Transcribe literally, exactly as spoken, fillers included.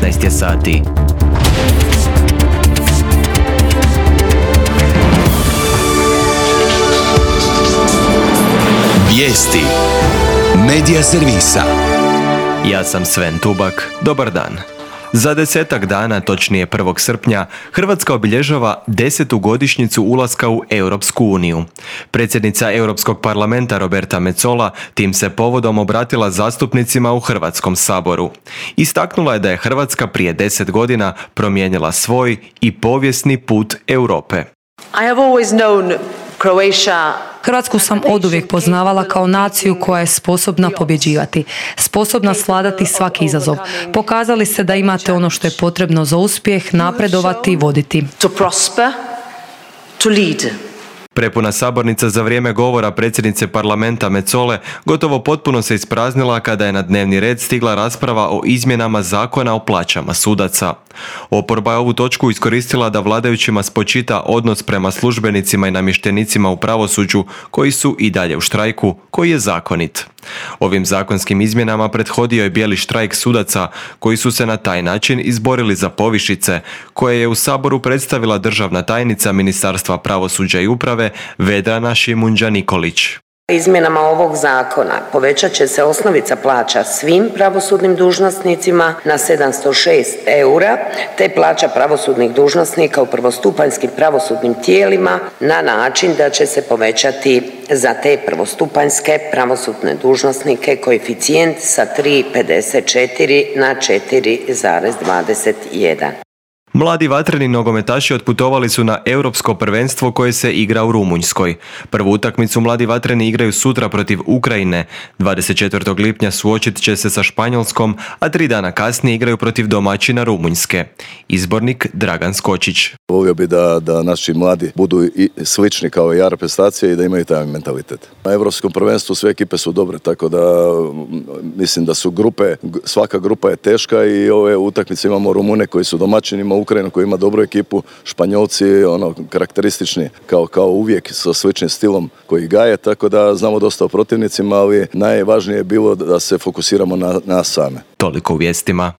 šesnaest je sati. Vijesti Medija servisa. Ja sam Sven Tubak. Dobar dan. Za desetak dana, točnije prvog srpnja, Hrvatska obilježava desetu godišnjicu ulaska u Europsku uniju. Predsjednica Europskog parlamenta Roberta Metsola tim se povodom obratila zastupnicima u Hrvatskom saboru. Istaknula je da je Hrvatska prije deset godina promijenila svoj i povijesni put Europe. I have always known Croatia. Hrvatsku sam oduvijek poznavala kao naciju koja je sposobna pobjeđivati, sposobna svladati svaki izazov. Pokazali ste da imate ono što je potrebno za uspjeh, napredovati i voditi. To prosper, to lead. Prepuna sabornica za vrijeme govora predsjednice parlamenta Metsole gotovo potpuno se ispraznila kada je na dnevni red stigla rasprava o izmjenama zakona o plaćama sudaca. Oporba je ovu točku iskoristila da vladajućima spočita odnos prema službenicima i namještenicima u pravosuđu koji su i dalje u štrajku, koji je zakonit. Ovim zakonskim izmjenama prethodio je bijeli štrajk sudaca koji su se na taj način izborili za povišice koje je u Saboru predstavila državna tajnica Ministarstva pravosuđa i uprave Vedrana Šimunđa Nikolić. Izmjenama ovog zakona povećat će se osnovica plaća svim pravosudnim dužnosnicima na sedamsto šest eura, te plaća pravosudnih dužnosnika u prvostupanjskim pravosudnim tijelima na način da će se povećati za te prvostupanjske pravosudne dužnosnike koeficijent sa tri zarez pedeset četiri na četiri zarez dvadeset jedan. Mladi vatreni nogometaši otputovali su na europsko prvenstvo koje se igra u Rumunjskoj. Prvu utakmicu mladi vatreni igraju sutra protiv Ukrajine. dvadeset četvrtog lipnja suočit će se sa Španjolskom, a tri dana kasnije igraju protiv domaćina Rumunjske. Izbornik Dragan Skočić. Volio bi da, da naši mladi budu i slični kao i reprezentacije i da imaju taj mentalitet. Na europskom prvenstvu sve ekipe su dobre, tako da mislim da su grupe, svaka grupa je teška i ove utakmice imamo Rumune koji su domaćinima, Ukrajinu koji ima dobru ekipu, Španjolci ono karakteristični kao, kao uvijek sa sličnim stilom koji gaje, tako da znamo dosta o protivnicima, ali najvažnije je bilo da se fokusiramo na nas same. Toliko u vijestima.